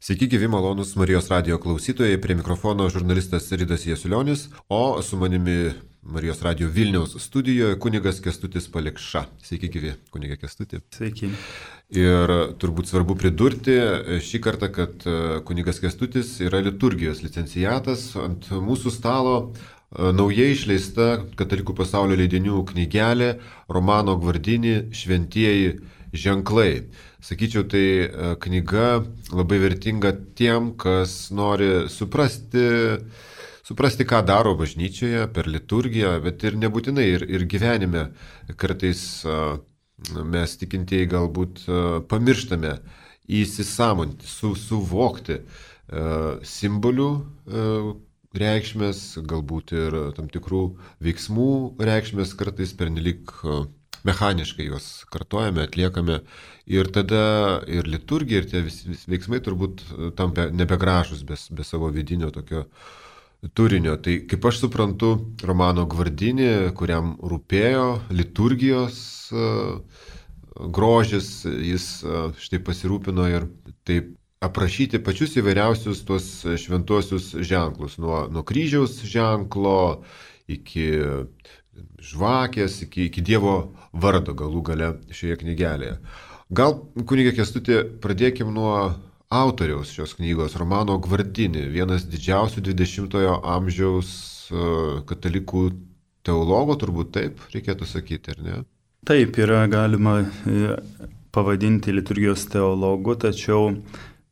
Sveiki, gyvi malonus Marijos radio klausytojai, prie mikrofono žurnalistas Ridas Jasiulionis, o su manimi Marijos radio Vilniaus studijoje kunigas Kęstutis Palikša. Sveiki, gyvi, kuniga Kęstuti. Sveiki. Ir turbūt svarbu pridurti šį kartą, kad kunigas Kęstutis yra liturgijos licenciatas. Ant mūsų stalo naujai išleista Katalikų pasaulio leidinių knygelė Romano Gvardini Šventieji ženklai. Sakyčiau, tai knyga labai vertinga tiem, kas nori suprasti, ką daro bažnyčioje per liturgiją, bet ir nebūtinai ir gyvenime. Kartais mes tikintieji galbūt pamirštame įsisąmoninti, suvokti simbolių reikšmės, galbūt ir tam tikrų veiksmų reikšmės, kartais pernelyg mechaniškai juos kartojame, atliekame ir tada ir liturgija, ir tie veiksmai turbūt tampa nebegražus be savo vidinio tokio turinio. Tai kaip aš suprantu, Romano Gvardini, kuriam rūpėjo liturgijos grožis, jis štai pasirūpino ir taip aprašyti pačius įvairiausius tuos šventuosius ženklus, nuo kryžiaus ženklo iki žvakės, iki Dievo vardo galų gale šioje knygelėje. Gal, kunige Kęstuti, pradėkim nuo autoriaus šios knygos, Romano Gvardini, vienas didžiausių 20-ojo amžiaus katalikų teologų, turbūt taip reikėtų sakyti, ar ne? Taip, yra galima pavadinti liturgijos teologu, tačiau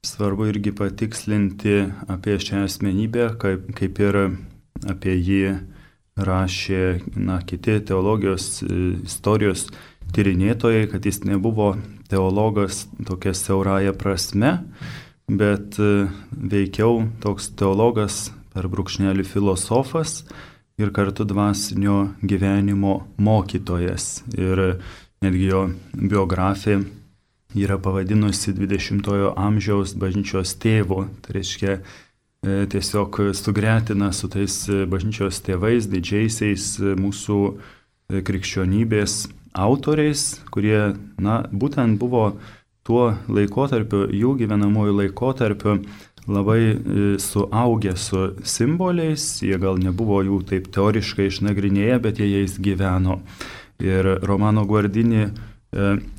svarbu irgi patikslinti apie šią asmenybę, kaip ir apie jį rašė kiti teologijos istorijos tyrinėtojai, kad jis nebuvo teologas tokia siaurąja prasme, bet veikiau toks teologas per brūkšnelį filosofas ir kartu dvasinio gyvenimo mokytojas. Ir netgi jo biografija yra pavadinusi 20-ojo amžiaus bažnyčios tėvu. Tai reiškia, tiesiog sugretina su tais bažnyčios tėvais, didžiaisiais mūsų krikščionybės autoriais, kurie, būtent buvo tuo laikotarpiu, jų gyvenamojų laikotarpiu labai suaugę su simboliais, jie gal nebuvo jų taip teoriškai išnagrinėję, bet jie jais gyveno. Ir Romano Gvardini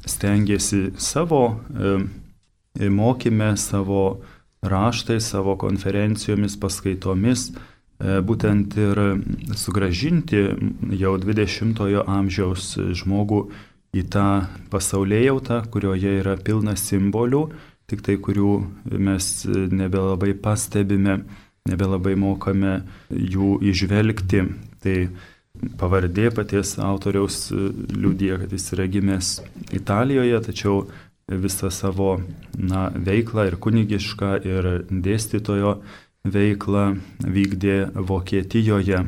stengiasi savo mokyme, savo raštais, savo konferencijomis, paskaitomis, būtent ir sugrąžinti jau 20-ojo amžiaus žmogų į tą pasaulėjautą, kurioje yra pilna simbolių, tik tai kurių mes nebelabai pastebime, nebelabai mokame jų įžvelgti. Tai pavardė paties autoriaus liudija, kad jis yra gimęs Italijoje, tačiau visą savo veiklą ir kunigišką, ir dėstytojo veiklą vykdė Vokietijoje.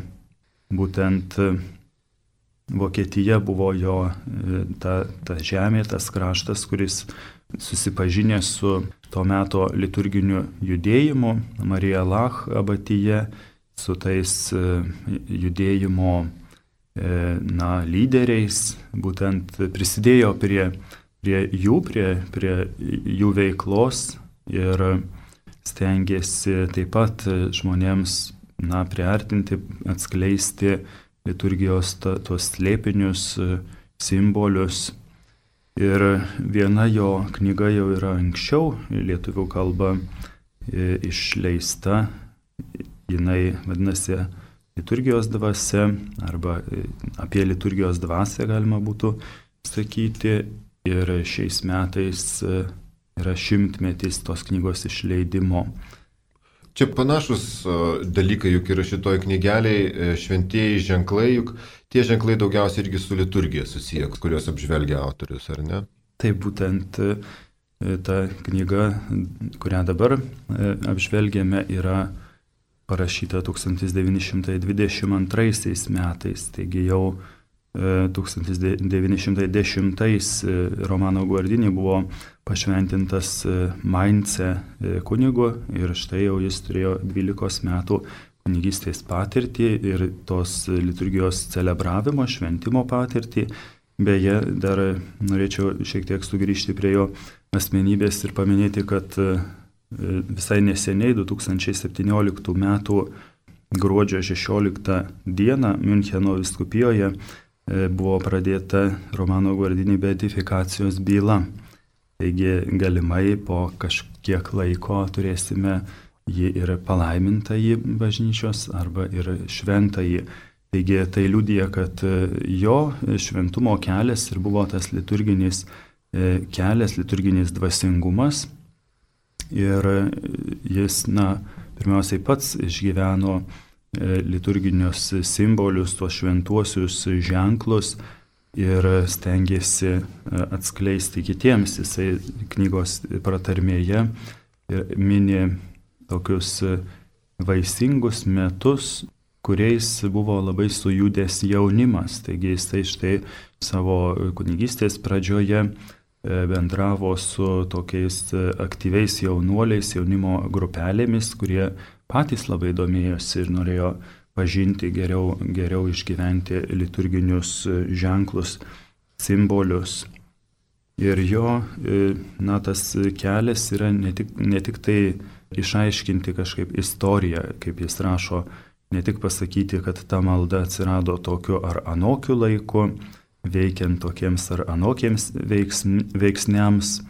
Būtent Vokietija buvo jo ta žemė, tas kraštas, kuris susipažinęs su to meto liturginiu judėjimu, Marija Lach abatyje, su tais judėjimo lyderiais, būtent prisidėjo prie jų veiklos ir stengiasi taip pat žmonėms priartinti, atskleisti liturgijos tuos slėpinius, simbolius. Ir viena jo knyga jau yra anksčiau lietuvių kalba išleista, jinai vadinasi Liturgijos dvasia, arba apie liturgijos dvasią galima būtų sakyti. Ir šiais metais yra 100-metis tos knygos išleidimo. Čia panašus dalykai juk yra šitoj knygeliai, šventieji ženklai, juk tie ženklai daugiausiai irgi su liturgija susiję, kuriuos apžvelgia autorius, ar ne? Taip, būtent ta knyga, kurią dabar apžvelgiame, yra parašyta 1922 metais, taigi jau 1910 Romano Gvardini buvo pašventintas Maince kunigu ir štai jau jis turėjo 12 metų kunigystės patirtį ir tos liturgijos celebravimo, šventimo patirtį. Beje, dar norėčiau šiek tiek sugrįžti prie jo asmenybės ir paminėti, kad visai neseniai, 2017 m. gruodžio 16 d. Miuncheno vyskupijoje buvo pradėta Romano Guardini beatifikacijos byla. Taigi galimai po kažkiek laiko turėsime jį ir palaimintąjį bažnyčios arba ir šventąjį. Taigi tai liudija, kad jo šventumo kelias ir buvo tas liturginis kelias, liturginis dvasingumas. Ir jis, pirmiausiai pats išgyveno liturginius simbolius, tuos šventuosius ženklus ir stengiasi atskleisti kitiems. Jisai knygos pratarmėje mini tokius vaisingus metus, kuriais buvo labai sujudęs jaunimas. Taigi jisai štai savo kunigystės pradžioje bendravo su tokiais aktyviais jaunuoliais, jaunimo grupelėmis, kurie patys labai domėjosi ir norėjo pažinti geriau išgyventi liturginius ženklus, simbolius. Ir jo, tas kelias yra ne tik tai išaiškinti kažkaip istoriją, kaip jis rašo, ne tik pasakyti, kad ta malda atsirado tokiu ar anokiu laiku, veikiant tokiems ar anokiems veiksniams,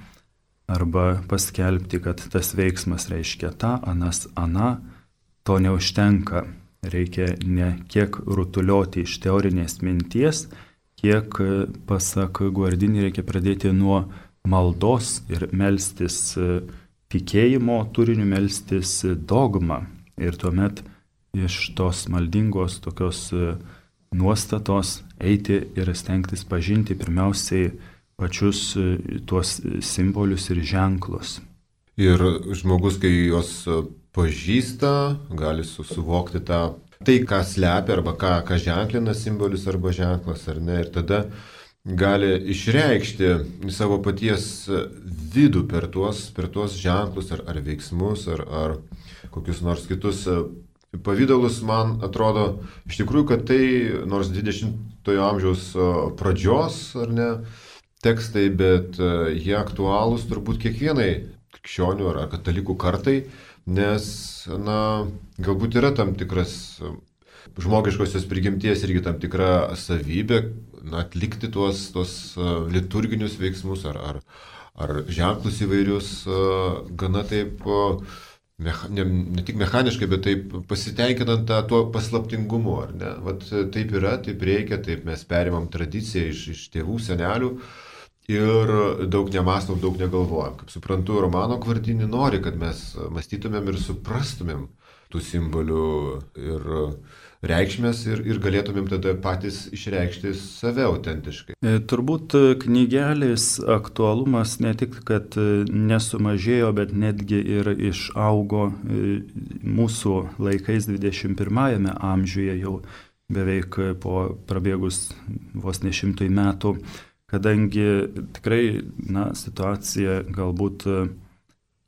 arba paskelbti, kad tas veiksmas reiškia tą, anas, ana, to neužtenka. Reikia ne kiek rutulioti iš teorinės minties, kiek, pasak Guardini, reikia pradėti nuo maldos ir melstis tikėjimo turiniu, melstis dogmą. Ir tuomet iš tos maldingos tokios nuostatos eiti ir stengtis pažinti pirmiausiai pačius tuos simbolius ir ženklus. Ir žmogus, kai juos pažįsta, gali suvokti tai, ką slepia arba ką ženklina simbolis arba ženklas, ar ne, ir tada gali išreikšti savo paties vidų per tuos ženklus ar veiksmus ar kokius nors kitus pavydalus. Man atrodo iš tikrųjų, kad tai nors 20-ojo amžiaus pradžios, ar ne, tekstai, bet jie aktualūs turbūt kiekvienai krikščionių ar katalikų kartai, nes, galbūt yra tam tikras žmogiškosios prigimties irgi tam tikra savybė atlikti tuos liturginius veiksmus ar ženklus įvairius gana taip, ne tik mechaniškai, bet taip pasitenkinant tuo paslaptingumu, ar ne? Vat taip yra, taip reikia, taip mes perimam tradiciją iš tėvų, senelių. Ir daug nemastom, daug negalvojam. Kaip suprantu, Romano Guardini nori, kad mes mąstytumėm ir suprastumėm tų simbolių ir reikšmės ir galėtumėm tada patys išreikšti save autentiškai. Turbūt knygelės aktualumas ne tik, kad nesumažėjo, bet netgi ir išaugo mūsų laikais 21 amžiuje, jau beveik po prabėgus vos ne 100 metų. Kadangi tikrai situacija galbūt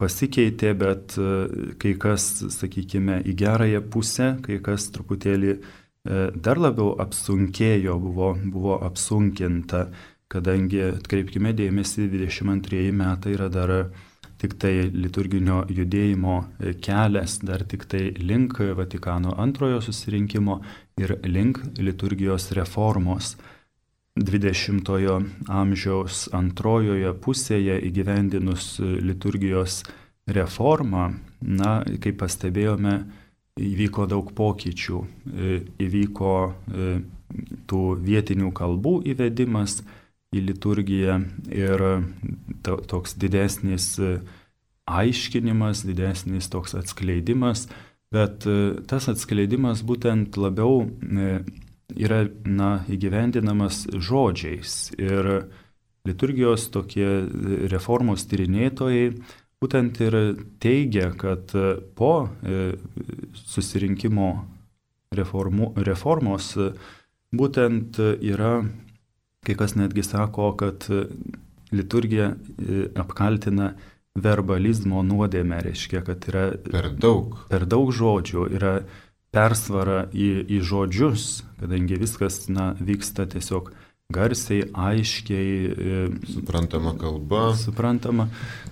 pasikeitė, bet kai kas, sakykime, į gerąją pusę, kai kas truputėlį dar labiau apsunkėjo, buvo apsunkinta, kadangi, atkreipkime dėmesį, 22 metai yra dar tik tai liturginio judėjimo kelias, dar tik tai link Vatikano antrojo susirinkimo ir link liturgijos reformos. 20-ojo amžiaus antrojoje pusėje įgyvendinus liturgijos reformą, kaip pastebėjome, įvyko daug pokyčių. Įvyko tų vietinių kalbų įvedimas į liturgiją ir toks didesnis aiškinimas, didesnis toks atskleidimas, bet tas atskleidimas būtent labiau yra įgyvendinamas žodžiais. Ir liturgijos tokie reformos tyrinėtojai būtent ir teigia, kad po susirinkimo reformos būtent yra, kai kas netgi sako, kad liturgija apkaltina verbalizmo nuodėmę, reiškia, kad yra per daug žodžių, yra persvara į žodžius, kadangi viskas vyksta tiesiog garsiai, aiškiai. Suprantama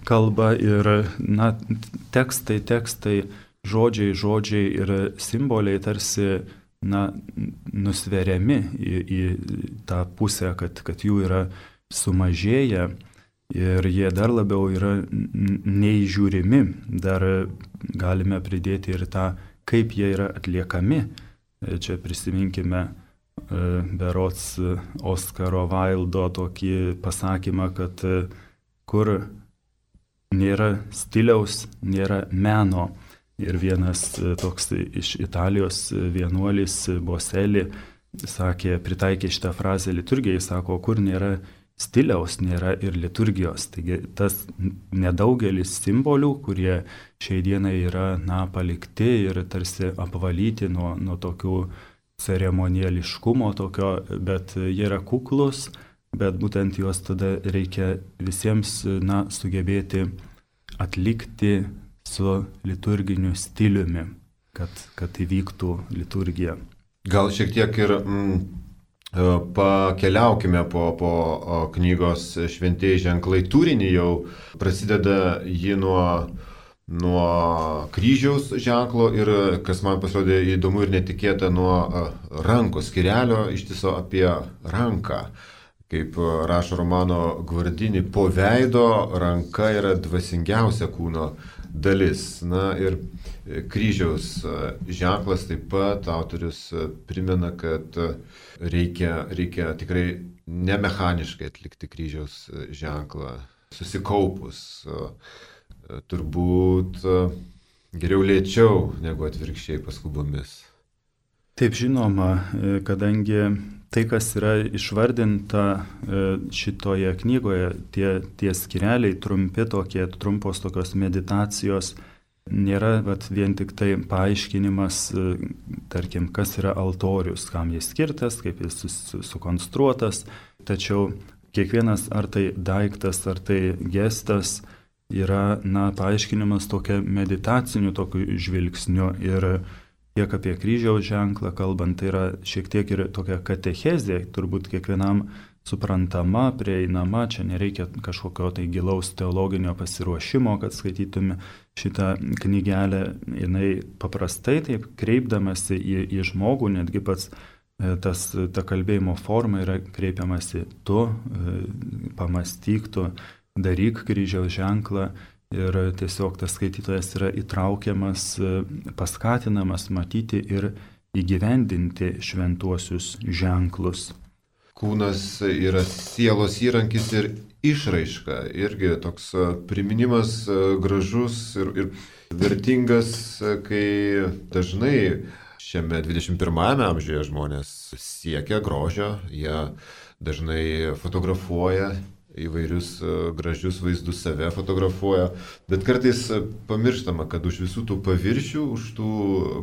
kalba ir tekstai, žodžiai ir simboliai tarsi nusveriami į tą pusę, kad jų yra sumažėję ir jie dar labiau yra neįžiūrimi. Dar galime pridėti ir tą, kaip jie yra atliekami. Čia prisiminkime berods Oskaro Vaildo tokį pasakymą, kad kur nėra stiliaus, nėra meno. Ir vienas toks iš Italijos vienuolis Boselli pritaikė šitą frazę liturgijai, sako, kur nėra stiliaus, nėra ir liturgijos. Taigi tas nedaugelis simbolių, kurie šiai dienai yra palikti ir tarsi apvalyti nuo tokių ceremoniališkumo tokio, bet jie yra kuklus, bet būtent juos tada reikia visiems sugebėti atlikti su liturginiu stiliumi, kad įvyktų liturgija. Gal šiek tiek ir pakeliaukime po knygos Šventieji ženklai turinį. Jau prasideda ji nuo kryžiaus ženklo ir, kas man pasirodė įdomu ir netikėta, nuo rankos skyrelio ištiso apie ranką. Kaip rašo Romano Guardini, po veido ranka yra dvasingiausia kūno dalis. Ir kryžiaus ženklas taip pat autorius primena, kad reikia tikrai nemechaniškai atlikti kryžiaus ženklą, susikaupus. Turbūt geriau lėčiau negu atvirkščiai paskubomis. Taip, žinoma, kadangi tai, kas yra išvardinta šitoje knygoje, tie skyreliai trumpos tokios meditacijos, nėra vien tik tai paaiškinimas, tarkim, kas yra altorius, kam jis skirtas, kaip jis sukonstruotas, tačiau kiekvienas ar tai daiktas, ar tai gestas yra paaiškinimas tokia meditaciniu tokiu žvilgsniu. Ir tiek apie kryžiaus ženklą kalbant, tai yra šiek tiek ir tokia katechezė, turbūt kiekvienam suprantama, prieinama, čia nereikia kažkokio tai gilaus teologinio pasiruošimo, kad skaitytume šitą knygelę. Jinai paprastai taip kreipdamasi į žmogų, netgi pats ta kalbėjimo forma yra kreipiamasi tu, pamastyk tu, daryk kryžiaus ženklą. Ir tiesiog tas skaitytojas yra įtraukiamas, paskatinamas matyti ir įgyvendinti šventuosius ženklus. Kūnas yra sielos įrankis ir išraiška. Irgi toks priminimas gražus ir vertingas, kai dažnai šiame 21 amžiuje žmonės siekia grožio, jie dažnai fotografuoja įvairius gražius vaizdus, save fotografuoja, bet kartais pamirštama, kad už visų tų paviršių, už tų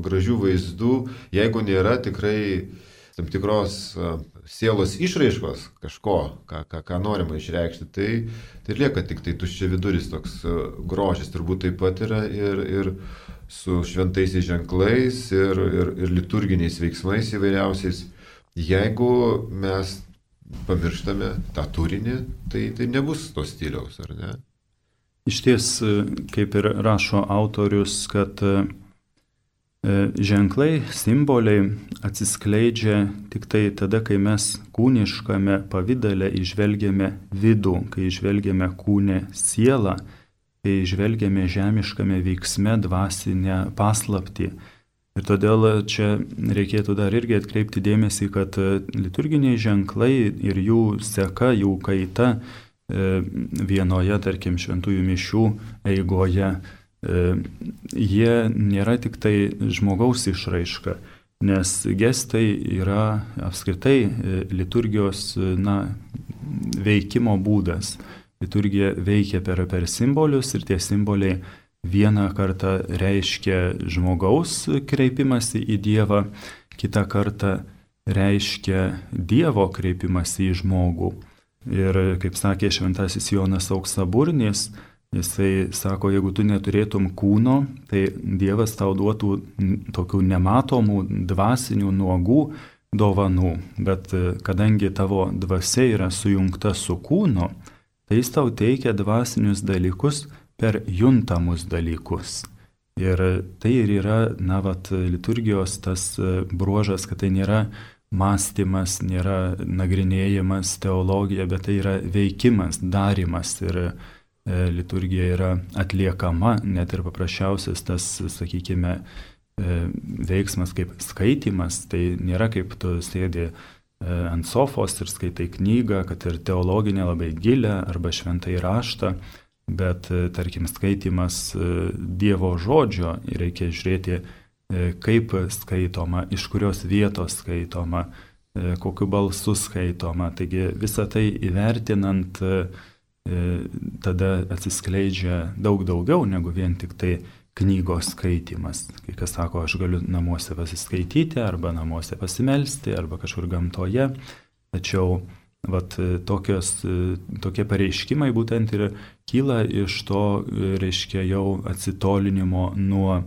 gražių vaizdų, jeigu nėra tikrai tam tikros sielos išraiškos, kažko, ką norima išreikšti, tai lieka tik tai tuščia viduris, toks grožis. Turbūt taip pat yra ir su šventaisiais ženklais ir liturginiais veiksmais įvairiausiais. Jeigu mes pamirštame tą turinį, tai nebus to stiliaus, ar ne? Iš ties, kaip ir rašo autorius, kad ženklai, simboliai atsiskleidžia tik tai tada, kai mes kūniškame pavydale įžvelgiame vidų, kai įžvelgiame kūne sielą, kai įžvelgiame žemiškame veiksme dvasinę paslaptį. Ir todėl čia reikėtų dar irgi atkreipti dėmesį, kad liturginiai ženklai ir jų seka, jų kaita vienoje, tarkim, šventųjų mišių eigoje, jie nėra tik tai žmogaus išraiška, nes gestai yra apskritai liturgijos veikimo būdas. Liturgija veikia per simbolius ir tie simboliai vieną kartą reiškia žmogaus kreipimąsi į Dievą, kitą kartą reiškia Dievo kreipimąsi į žmogų. Ir kaip sakė šventasis Jonas Auksaburnis, jisai sako, jeigu tu neturėtum kūno, tai Dievas tau duotų tokių nematomų, dvasinių, nuogų dovanų, bet kadangi tavo dvasia yra sujungta su kūnu, tai jis tau teikia dvasinius dalykus per juntamus dalykus. Ir tai ir yra, liturgijos tas bruožas, kad tai nėra mąstymas, nėra nagrinėjimas, teologija, bet tai yra veikimas, darimas. Ir liturgija yra atliekama, net ir paprasčiausias tas, sakykime, veiksmas kaip skaitimas, tai nėra kaip tu sėdi ant sofos ir skaitai knygą, kad ir teologinę labai gilę arba šventąjį raštą, bet, tarkim, skaitimas Dievo žodžio reikia žiūrėti, kaip skaitoma, iš kurios vietos skaitoma, kokiu balsu skaitoma. Taigi visą tai įvertinant, tada atsiskleidžia daug daugiau negu vien tik tai knygos skaitimas. Kai kas sako, aš galiu namuose pasiskaityti, arba namuose pasimelsti, arba kažkur gamtoje. Tačiau tokie pareiškimai būtent ir kyla iš to, reiškia, jau atsitolinimo nuo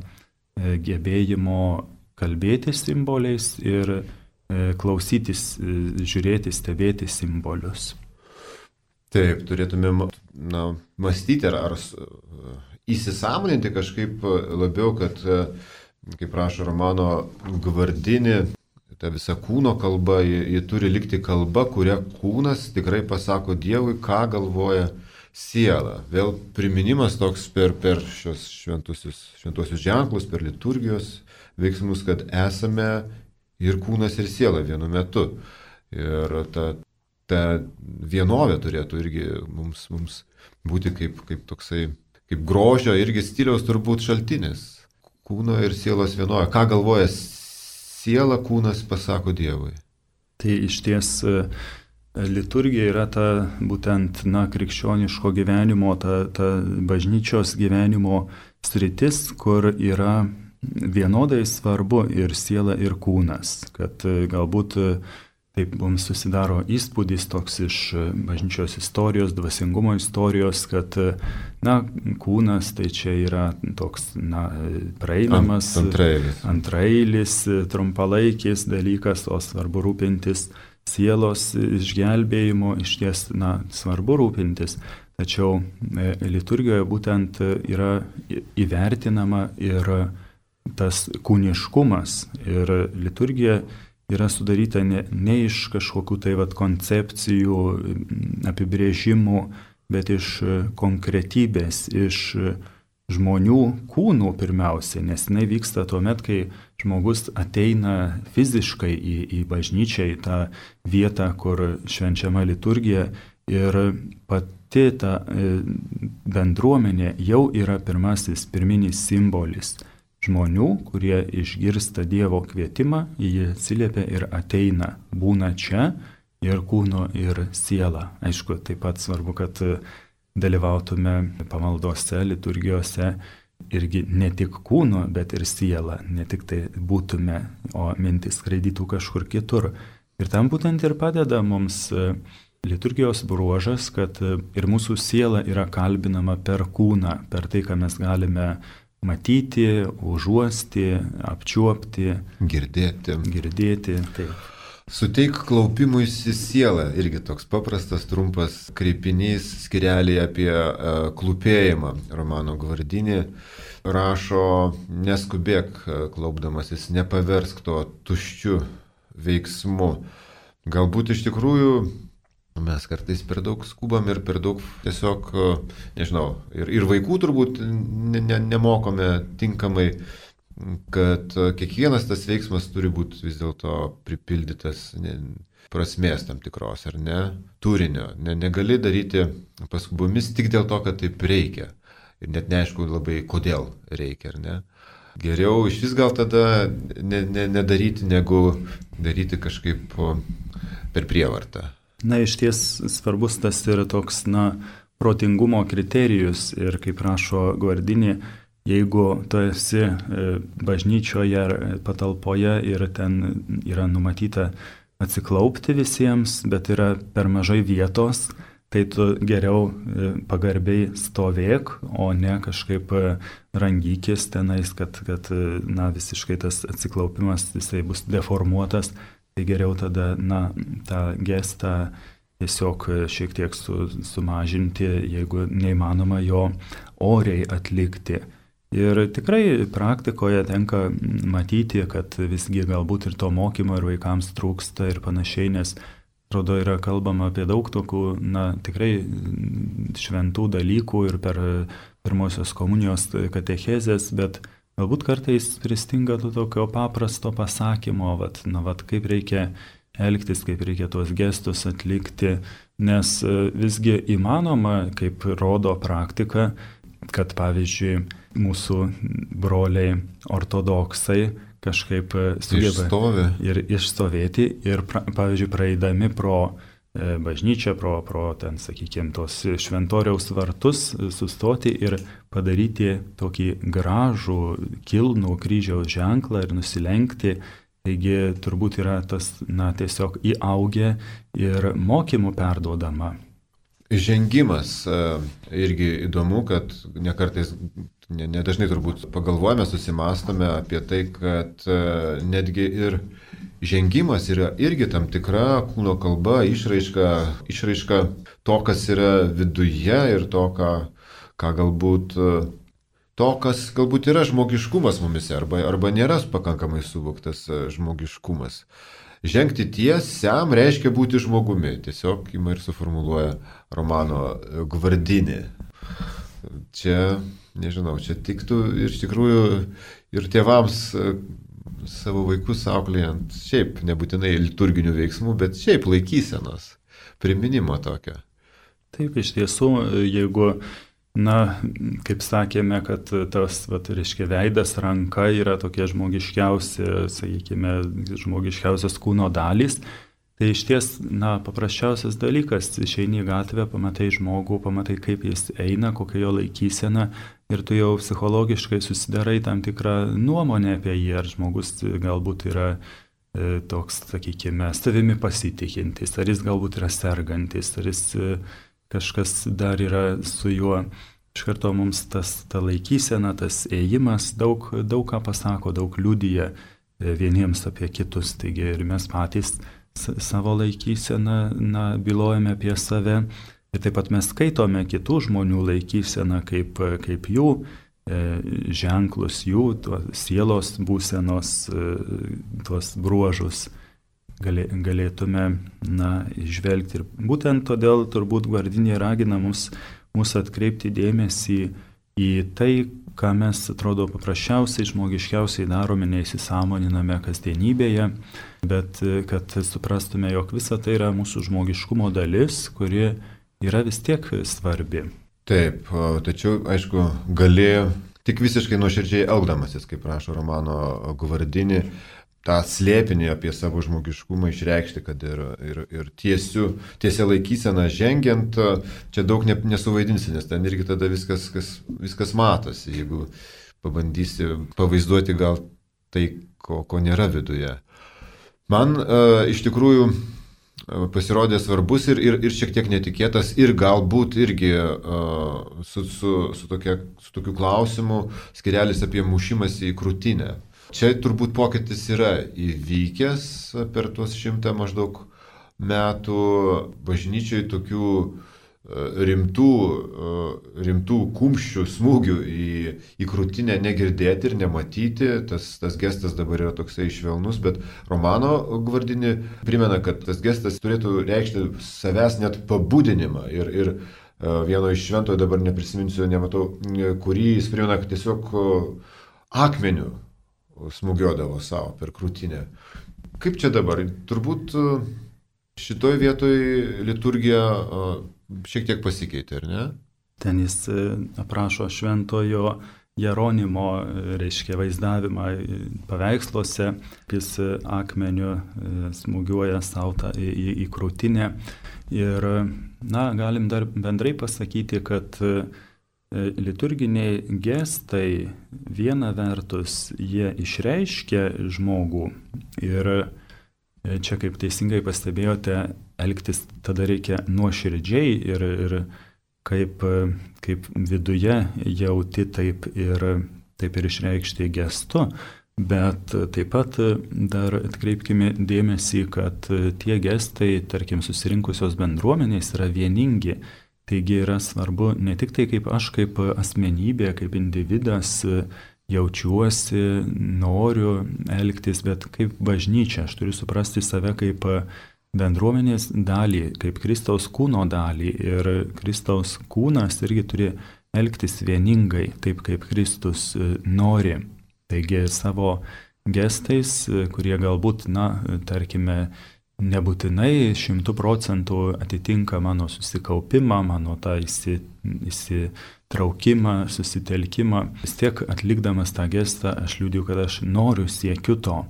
gebėjimo kalbėti simboliais ir klausytis, žiūrėti, stebėti simbolius. Taip, turėtumėm mąstyti ar įsisąmoninti kažkaip labiau, kad, kaip rašo Romano Gvardini, ta visa kūno kalba, ji turi likti kalba, kuria kūnas tikrai pasako Dievui, ką galvoja siela. Vėl priminimas toks per šios šventuosius ženklus, per liturgijos veiksmus, kad esame ir kūnas, ir siela vienu metu. Ir ta vienovė turėtų irgi mums būti kaip toksai, kaip grožio irgi stiliaus turbūt šaltinis. Kūno ir sielos vienovė. Ką galvoja siela, kūnas pasako Dievui. Tai iš ties liturgija yra ta būtent krikščioniško gyvenimo, ta bažnyčios gyvenimo sritis, kur yra vienodai svarbu ir siela, ir kūnas. Kad galbūt taip mums susidaro įspūdis toks iš bažnyčios istorijos, dvasingumo istorijos, kad kūnas tai čia yra toks praeinamas, antrailis, trumpalaikis dalykas, o svarbu rūpintis sielos išgelbėjimo, iš ties svarbu rūpintis. Tačiau liturgijoje būtent yra įvertinama ir tas kūniškumas. Ir liturgija yra sudaryta ne iš kažkokių tai koncepcijų, apibrėžimų, bet iš konkretybės, iš žmonių kūnų pirmiausia, nes jinai vyksta tuomet, kai žmogus ateina fiziškai į bažnyčią, į tą vietą, kur švenčiama liturgija, ir pati ta bendruomenė jau yra pirminis simbolis žmonių, kurie išgirsta Dievo kvietimą, jie atsiliepia ir ateina, būna čia ir kūno, ir siela. Aišku, taip pat svarbu, kad dalyvautume pamaldose, liturgijose irgi ne tik kūno, bet ir siela, ne tik tai būtume, o mintis skraidytų kažkur kitur. Ir tam būtent ir padeda mums liturgijos bruožas, kad ir mūsų siela yra kalbinama per kūną, per tai, ką mes galime matyti, užuosti, apčiuopti, girdėti. Taip. Suteik klaupimuisi sielą, irgi toks paprastas, trumpas kreipinys skirelį apie klūpėjimą. Romano Gvardini rašo, neskubėk klaupdamasis, nepaversk to tuščiu veiksmu. Galbūt iš tikrųjų mes kartais per daug skubam ir per daug tiesiog, nežinau, ir vaikų turbūt nemokome tinkamai, kad kiekvienas tas veiksmas turi būti vis dėlto pripildytas prasmės tam tikros, ar ne, turinio. Negali daryti paskubomis tik dėl to, kad taip reikia. Ir net neaišku labai, kodėl reikia, ar ne. Geriau iš vis gal tada nedaryti, negu daryti kažkaip per prievartą. Iš ties svarbus tas yra toks, protingumo kriterijus. Ir kaip rašo Gvardini, jeigu tu esi bažnyčioje ar patalpoje ir ten yra numatyta atsiklaupti visiems, bet yra per mažai vietos, tai tu geriau pagarbiai stovėk, o ne kažkaip rangykis tenais, kad visiškai tas atsiklaupimas jisai bus deformuotas. tai geriau tada, tą gestą tiesiog šiek tiek sumažinti, jeigu neįmanoma jo oriai atlikti. Ir tikrai praktikoje tenka matyti, kad visgi galbūt ir to mokymo ir vaikams trūksta ir panašiai, nes atrodo yra kalbama apie daug tokių, tikrai šventų dalykų ir per pirmosios komunijos katechezės, bet galbūt kartais pristinga to tokio paprasto pasakymo, kaip reikia elgtis, kaip reikia tuos gestus atlikti, nes visgi įmanoma, kaip rodo praktika, kad pavyzdžiui mūsų broliai ortodoksai kažkaip sugeba ir išstovėti ir, pavyzdžiui, praeidami pro bažnyčią, pro ten, sakykime, tos šventoriaus vartus sustoti ir padaryti tokį gražų, kilnų kryžiaus ženklą ir nusilenkti. Taigi turbūt yra tas, tiesiog įaugę ir mokymų perduodama. Žengimas irgi įdomu, kad nedažnai turbūt pagalvojame, susimastome apie tai, kad netgi ir žengimas yra irgi tam tikra kūno kalba, išraiška to, kas yra viduje ir to, kas galbūt yra žmogiškumas mumise arba nėra pakankamai suvoktas žmogiškumas. Žengti tiesiam reiškia būti žmogumi. Tiesiog ima ir suformuluoja Romano Guardini. Čia, nežinau, čia tiktų iš tikrųjų ir tėvams savo vaikus auklėjant, šiaip nebūtinai liturginių veiksmų, bet šiaip laikysenos, priminimo tokio. Taip, iš tiesų, jeigu kaip sakėme, kad tas, reiškia, veidas, ranka yra tokie žmogiškiausi, sakykime, žmogiškiausios kūno dalys, tai iš ties, paprasčiausias dalykas, išeini į gatvę, pamatai žmogų, pamatai, kaip jis eina, kokia jo laikysena ir tu jau psichologiškai susidarai tam tikrą nuomonę apie jį, ar žmogus galbūt yra toks, sakykime, savimi pasitikintis, ar jis galbūt yra sergantis, ar jis kažkas dar yra su juo. Iš karto mums ta laikysena, tas ėjimas daug ką pasako, daug liudija vieniems apie kitus. Taigi ir mes patys savo laikyseną bylojame apie save. Ir taip pat mes skaitome kitų žmonių laikyseną kaip jų ženklus, jų sielos būsenos, tuos bruožus. Galėtume išvelgti. Ir būtent todėl turbūt Guardini ragina mus atkreipti dėmesį į tai, ką mes, atrodo, paprasčiausiai, žmogiškiausiai darome, neįsisąmoniname kasdienybėje, bet kad suprastume, jog visa tai yra mūsų žmogiškumo dalis, kuri yra vis tiek svarbi. Taip, tačiau, aišku, gali tik visiškai nuoširdžiai elgdamasis, kaip rašo Romano Guardini, tą slėpinį apie savo žmogiškumą išreikšti, kad ir tiesia laikysena žengiant, čia daug nesuvaidinsi, nes ten irgi tada viskas matosi, jeigu pabandysi pavaizduoti gal tai, ko nėra viduje. Man iš tikrųjų pasirodė svarbus ir šiek tiek netikėtas ir galbūt irgi su tokiu klausimu skirelis apie mušimąsi į krūtinę. Čia turbūt pokytis yra įvykęs per tuos 100 maždaug metų bažnyčiai tokių rimtų kumščių, smūgių į krūtinę negirdėti ir nematyti. Tas gestas dabar yra toksai švelnus, bet Romano Guardini primena, kad tas gestas turėtų reikšti savęs net pabudinimą. Ir vieno iš šventojo, dabar neprisiminsiu, nematau, kurį jis primena, kad tiesiog akmeniu smūgiuodavo savo per krūtinę. Kaip čia dabar? Turbūt šitoj vietoj liturgija šiek tiek pasikeitė, ar ne? Ten jis aprašo šventojo Jeronimo, reiškia, vaizdavimą paveiksluose, jis akmeniu smūgiuoja savo į krūtinę. Ir, galim dar bendrai pasakyti, kad liturginiai gestai viena vertus jie išreiškia žmogų ir čia, kaip teisingai pastebėjote, elgtis tada reikia nuoširdžiai ir kaip viduje jauti taip ir išreikšti gestu, Bet taip pat dar atkreipkime dėmesį, kad tie gestai, tarkim, susirinkusios bendruomenės yra vieningi. Taigi yra svarbu ne tik tai, kaip aš kaip asmenybė, kaip individas jaučiuosi, noriu elgtis, bet kaip bažnyčia. Aš turiu suprasti save kaip bendruomenės dalį, kaip Kristaus kūno dalį. Ir Kristaus kūnas irgi turi elgtis vieningai, taip kaip Kristus nori. Taigi savo gestais, kurie galbūt, tarkime, nebūtinai 100% atitinka mano susikaupimą, mano tą įsitraukimą, susitelkimą. Vis tiek atlikdamas tą gestą aš liudiu, kad aš noriu, siekiu to.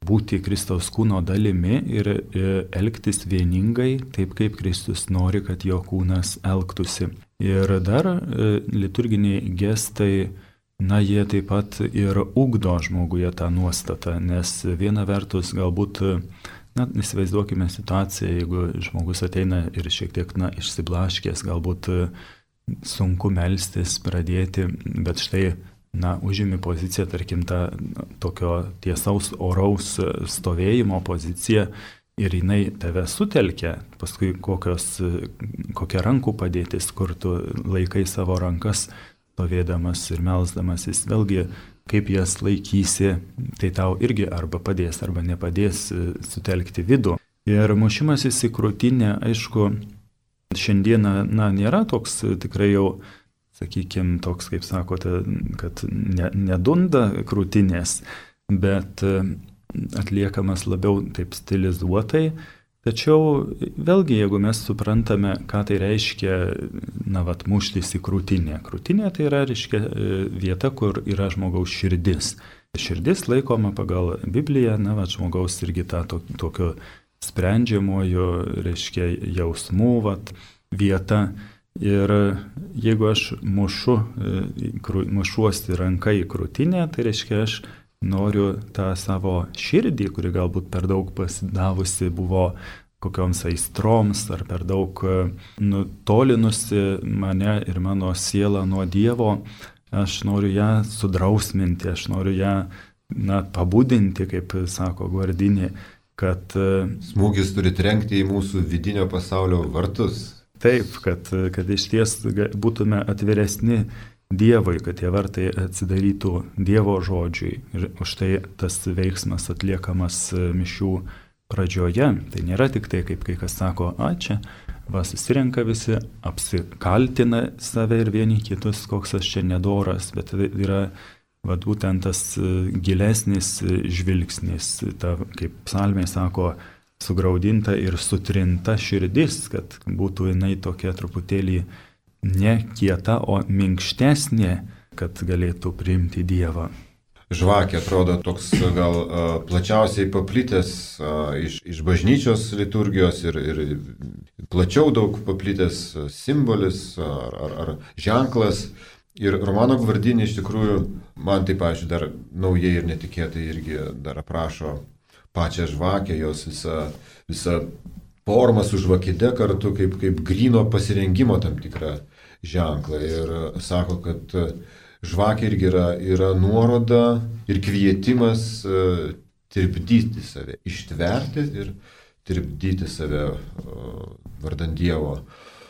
Būti Kristaus kūno dalimi ir elgtis vieningai, taip kaip Kristus nori, kad jo kūnas elgtųsi. Ir dar liturginiai gestai, jie taip pat ir ugdo žmoguje tą nuostatą, nes viena vertus galbūt, įsivaizduokime situaciją, jeigu žmogus ateina ir šiek tiek, išsiblaškęs, galbūt sunku melstis, pradėti, bet štai, užimi poziciją, tarkim, tą tokio tiesaus oraus stovėjimo poziciją ir jinai tave sutelkia, paskui kokia rankų padėtis, kur tu laikai savo rankas stovėdamas ir melsdamasis, vėlgi, kaip jas laikysi, tai tau irgi arba padės, arba nepadės sutelkti vidų. Ir mušimasis į krūtinę, aišku, šiandieną, nėra toks tikrai jau, sakykime, toks, kaip sakote, kad nedunda krūtinės, bet atliekamas labiau taip stilizuotai. Tačiau vėlgi, jeigu mes suprantame, ką tai reiškia, muštis į krūtinę. Krūtinė tai yra, reiškia, vieta, kur yra žmogaus širdis. Širdis laikoma pagal Bibliją, žmogaus irgi tą tokio sprendžiamojo, reiškia, jausmų vieta. Ir jeigu aš mušuosi ranką į krūtinę, tai reiškia, aš noriu tą savo širdį, kuri galbūt per daug pasidavusi buvo kokioms aistroms ar per daug nutolinusi mane ir mano sielą nuo Dievo, aš noriu ją sudrausminti, aš noriu ją pabudinti, kaip sako Guardini, kad smūgis turi trenkti į mūsų vidinio pasaulio vartus. Taip, kad iš ties būtume atviresni Dievui, kad tie vartai atsidarytų Dievo žodžiui. Ir už tai tas veiksmas atliekamas mišių pradžioje. Tai nėra tik tai, kaip kai kas sako, čia susirenka visi, apsikaltina save ir vieni kitus, koks aš čia nedoras, bet tai yra būtent tas gilesnis žvilgsnis, ta, kaip psalmė sako, sugraudinta ir sutrinta širdis, kad būtų jinai tokia truputėlį ne kieta, o minkštesnė, kad galėtų priimti Dievą. Žvakė atrodo toks gal plačiausiai paplitęs iš bažnyčios liturgijos ir plačiau daug paplitęs simbolis ar ženklas. Ir Romano Guardini iš tikrųjų, man tai, pavyzdžiui, dar naujai ir netikėtai irgi dar aprašo pačią žvakę, jos visą formą su žvakide kartu kaip gryno pasirengimo tam tikrą ženklą. Ir sako, kad žvakė irgi yra nuoroda ir kvietimas tirpdyti save, ištverti ir tirpdyti save vardan Dievo.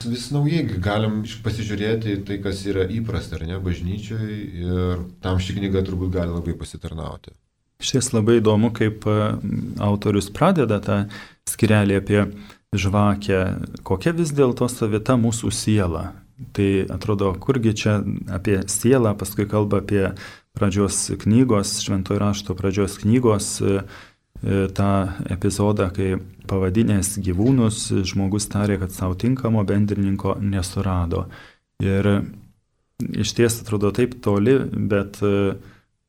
Vis naujai galim pasižiūrėti tai, kas yra įprasta, ar ne, bažnyčioje, ir tam ši knyga turbūt gali labai pasitarnauti. Šis labai įdomu, kaip autorius pradeda tą skyrelį apie žvakę, kokia vis dėlto savita mūsų siela. Tai atrodo, kurgi čia apie sielą, paskui kalba apie pradžios knygos, Šventojo rašto pradžios knygos, tą epizodą, kai pavadinęs gyvūnus, žmogus tarė, kad savo tinkamo bendrininko nesurado. Ir iš ties atrodo taip toli, bet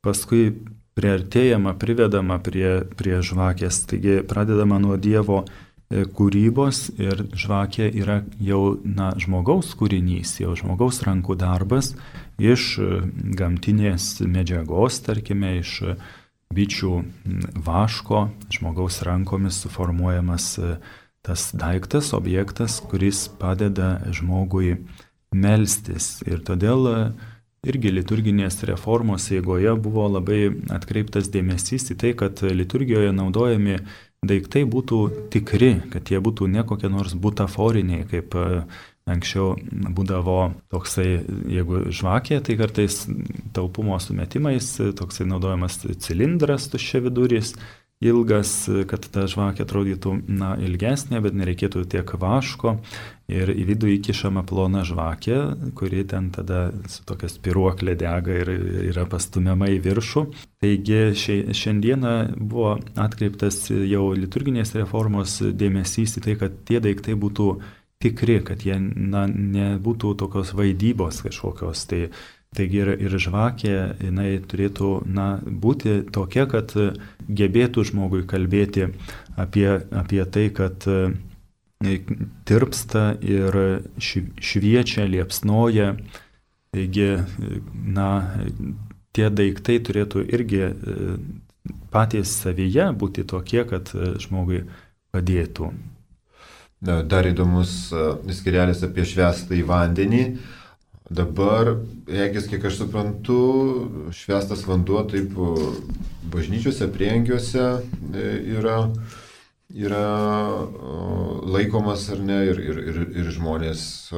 paskui priartėjama, privedama prie žvakės. Taigi pradedama nuo Dievo kūrybos ir žvakė yra jau žmogaus kūrinys, jau žmogaus rankų darbas iš gamtinės medžiagos, tarkime, iš bičių vaško, žmogaus rankomis suformuojamas tas daiktas, objektas, kuris padeda žmogui melstis. Ir todėl irgi liturginės reformos eigoje buvo labai atkreiptas dėmesys į tai, kad liturgijoje naudojami daiktai būtų tikri, kad jie būtų ne kokie nors butaforiniai, kaip anksčiau būdavo toksai, jeigu žvakė, tai kartais taupumo sumetimais toksai naudojamas cilindras tuščiaviduris, ilgas, kad ta žvakė atrodytų ilgesnė, bet nereikėtų tiek vaško ir į vidų įkišama plona žvakė, kuri ten tada su tokia spiruoklė dega ir yra pastumiama į viršų. Taigi šiandieną buvo atkreiptas jau liturginės reformos dėmesys į tai, kad tie daiktai būtų tikri, kad jie nebūtų tokios vaidybos kažkokios. Taigi ir žvakė, jinai turėtų būti tokia, kad gebėtų žmogui kalbėti apie tai, kad tirpsta ir šviečia, liepsnoja. Taigi, tie daiktai turėtų irgi patys savyje būti tokie, kad žmogui padėtų. Dar įdomus skirelis apie švęstąjį vandenį. Dabar, regis, kiek aš suprantu, švęstas vanduo taip bažnyčiose, prieangiuose yra laikomas ar ne, ir žmonės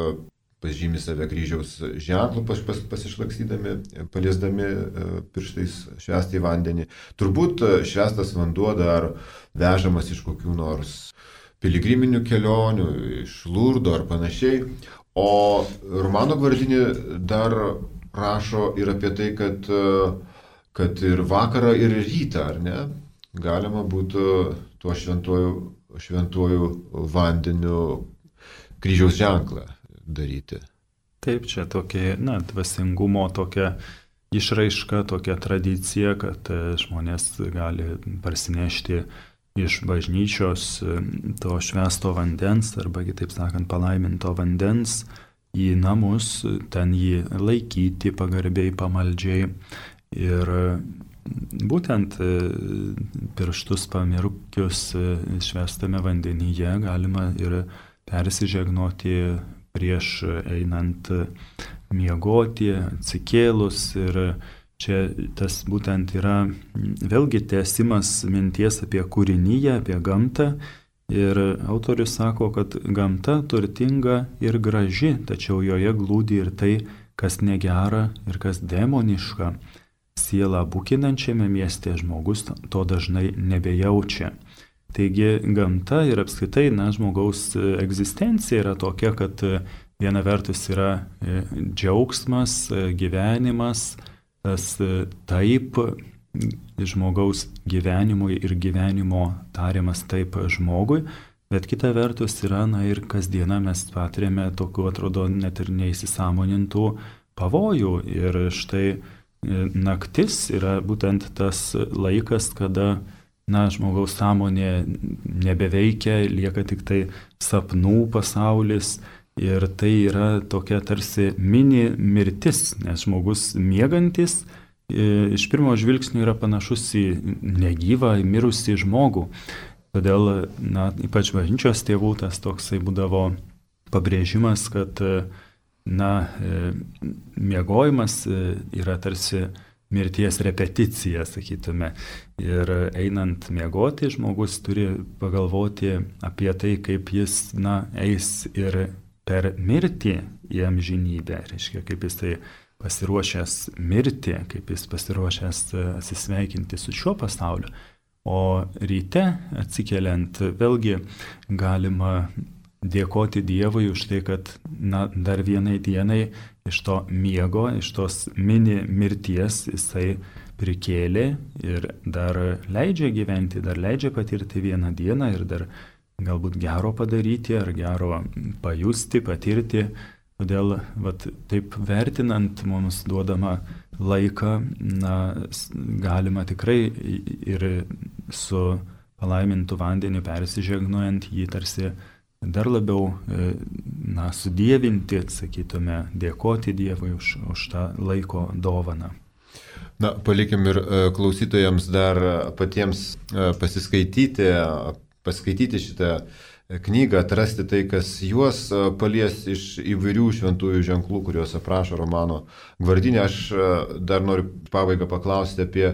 pažymi save kryžiaus ženklų pasišlakstydami, paliesdami pirštais švęstąjį vandenį. Turbūt švęstas vanduo dar vežamas iš kokių nors piligriminių kelionių, iš Lurdo ar panašiai. O Romano Guardini dar rašo ir apie tai, kad ir vakarą, ir rytą, ar ne, galima būtų tuo šventuoju vandeniu kryžiaus ženklą daryti. Taip, čia tokia, dvasingumo tokia išraiška, tokia tradicija, kad žmonės gali parsinešti iš bažnyčios to švęsto vandens, arba kitaip sakant, palaiminto vandens į namus, ten jį laikyti pagarbiai, pamaldžiai. Ir būtent pirštus pamirkius švęstame vandenyje galima ir persižegnoti prieš einant miegoti, atsikėlus. Ir čia tas būtent yra vėlgi tęsimas minties apie kūriniją, apie gamtą. Ir autorius sako, kad gamta turtinga ir graži, tačiau joje glūdi ir tai, kas negera ir kas demoniška. Sielą bukinančiame mieste žmogus to dažnai nebejaučia. Taigi gamta ir apskritai žmogaus egzistencija yra tokia, kad viena vertus yra džiaugsmas, gyvenimas, tas taip žmogaus gyvenimui ir gyvenimo tariamas taip žmogui, bet kita vertus yra, ir kasdieną mes patiriame tokių, atrodo, net ir neįsisąmonintų pavojų. Ir štai naktis yra būtent tas laikas, kada, žmogaus sąmonė nebeveikia, lieka tik tai sapnų pasaulis. Ir tai yra tokia tarsi mini mirtis, nes žmogus miegantis iš pirmo žvilgsnio yra panašus į negyvą, į mirusį žmogų. Todėl, ypač bažnyčios tėvų tas toksai būdavo pabrėžimas, kad, miegojimas yra tarsi mirties repeticija, sakytume. Ir einant miegoti, žmogus turi pagalvoti apie tai, kaip jis, eis ir per mirtį į amžinybę, reiškia, kaip jis tai pasiruošęs mirti, kaip jis pasiruošęs atsisveikinti su šiuo pasauliu. O ryte atsikeliant vėlgi galima dėkoti Dievui už tai, kad dar vienai dienai iš to miego, iš tos mini mirties jisai prikėlė ir dar leidžia gyventi, dar leidžia patirti vieną dieną ir dar galbūt gero padaryti ar gero pajusti, patirti. Todėl taip vertinant mums duodama laiką, galima tikrai ir su palaimintu vandeniu persižegnuojant jį tarsi dar labiau sudievinti, sakytume, dėkoti Dievui už tą laiko dovaną. Palikim ir klausytojams dar patiems paskaityti šitą knygą, atrasti tai, kas juos palies iš įvairių šventųjų ženklų, kuriuos aprašo Romano Gvardinė. Aš dar noriu pabaigą paklausti apie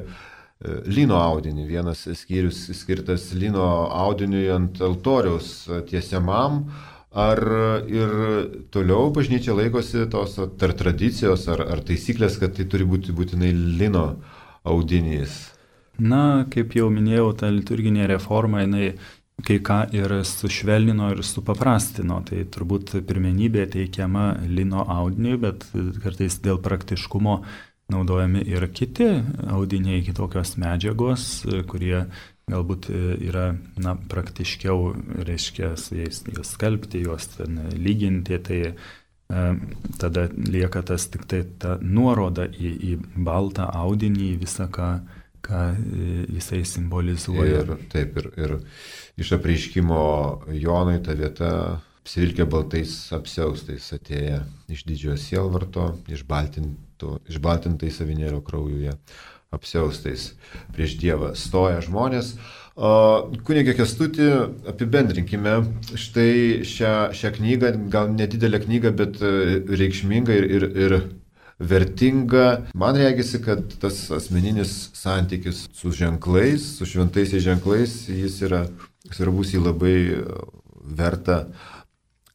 lino audinį. Vienas skyrius skirtas lino audiniui ant altoriaus tiesiamam. Ar ir toliau bažnyčia laikosi tos tradicijos ar taisyklės, kad tai turi būti būtinai lino audinys? Na, kaip jau minėjau, ta liturginė reforma, jinai kai ką ir sušvelnino ir supaprastino. Tai turbūt pirmenybė teikiama lino audiniui, bet kartais dėl praktiškumo naudojami ir kiti audiniai, kitokios medžiagos, kurie galbūt yra praktiškiau, reiškia, su jais skalbti, juos lyginti. Tai tada lieka tas tik tai ta nuoroda į baltą audinį, visą ką jisai simbolizuoja. Ir iš apreiškimo Jonui ta vieta apsivilkė baltais apsiaustais, atėję iš didžiojo sielvarto, išbaltintais avinėlio kraujuje apsiaustais prieš Dievą stoja žmonės. Kunige Kęstuti, apibendrinkime štai šią knygą, gal nedidelę knygą, bet reikšmingą ir vertinga. Man regisi, kad tas asmeninis santykis su ženklais, su šventaisiais ženklais, jis yra svarbus, jį labai verta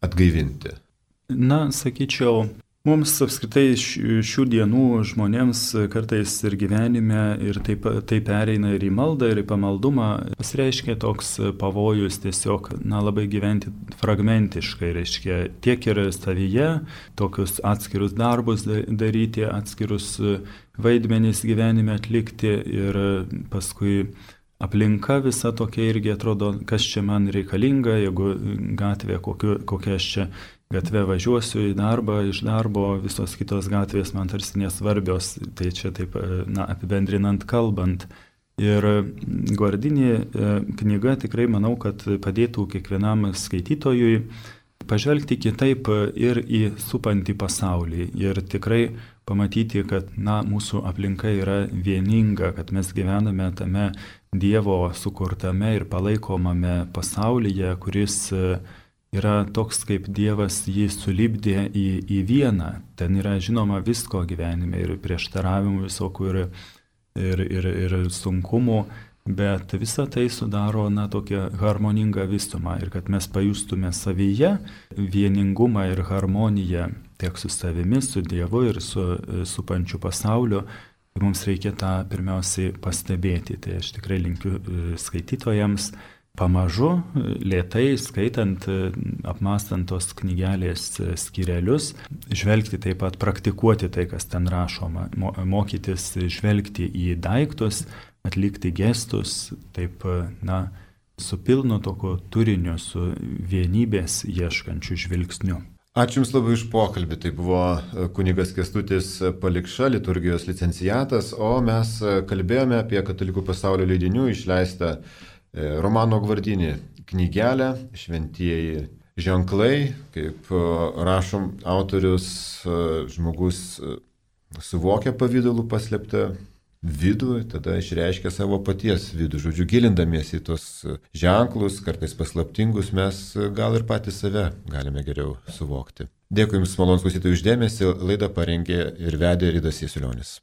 atgaivinti. Na, sakyčiau, mums apskritai šių dienų žmonėms kartais ir gyvenime ir tai pereina ir į maldą, ir į pamaldumą, pasireiškia toks pavojus tiesiog, labai gyventi fragmentiškai, reiškia tiek ir savyje, tokius atskirus darbus daryti, atskirus vaidmenys gyvenime atlikti ir paskui aplinka visa tokia irgi atrodo, kas čia man reikalinga, jeigu gatvė, kokia aš čia gatvė važiuosiu į darbą, iš darbo, visos kitos gatvės man tarsi nesvarbios, tai čia taip, apibendrinant kalbant. Ir Gvardinė knyga tikrai manau, kad padėtų kiekvienam skaitytojui pažvelgti kitaip ir į supantį pasaulį ir tikrai pamatyti, kad mūsų aplinka yra vieninga, kad mes gyvename tame Dievo sukurtame ir palaikomame pasaulyje, kuris yra toks, kaip Dievas jį sulipdė į vieną. Ten yra žinoma visko gyvenime ir prieštaravimų visokių ir sunkumų, bet visa tai sudaro tokią harmoningą visumą ir kad mes pajustume savyje vieningumą ir harmoniją tiek su savimi, su Dievu ir su pačiu pasauliu. Mums reikia tą pirmiausiai pastebėti. Tai aš tikrai linkiu skaitytojams pamažu, lėtai, skaitant, apmąstant tos knygelės skyrelius, žvelgti taip pat, praktikuoti tai, kas ten rašoma, mokytis žvelgti į daiktus, atlikti gestus, taip, su pilnu tokio turiniu, su vienybės ieškančiu žvilgsniu. Ačiū Jums labai už pokalbį. Tai buvo kunigas Kęstutis Palikša, liturgijos licenciatas, o mes kalbėjome apie Katalikų pasaulio leidinių išleistą Romano Gvardinį knygelę Šventieji ženklai. Kaip rašom, autorius žmogus suvokia pavydalų paslėptą vidų, tada išreiškia savo paties vidų. Žodžiu, gilindamiesi į tos ženklus, kartais paslaptingus, mes gal ir patys save galime geriau suvokti. Dėkui Jums, malonūs klausytojai, už dėmesį. Laidą parengė ir vedė Ridas Jasiulionis.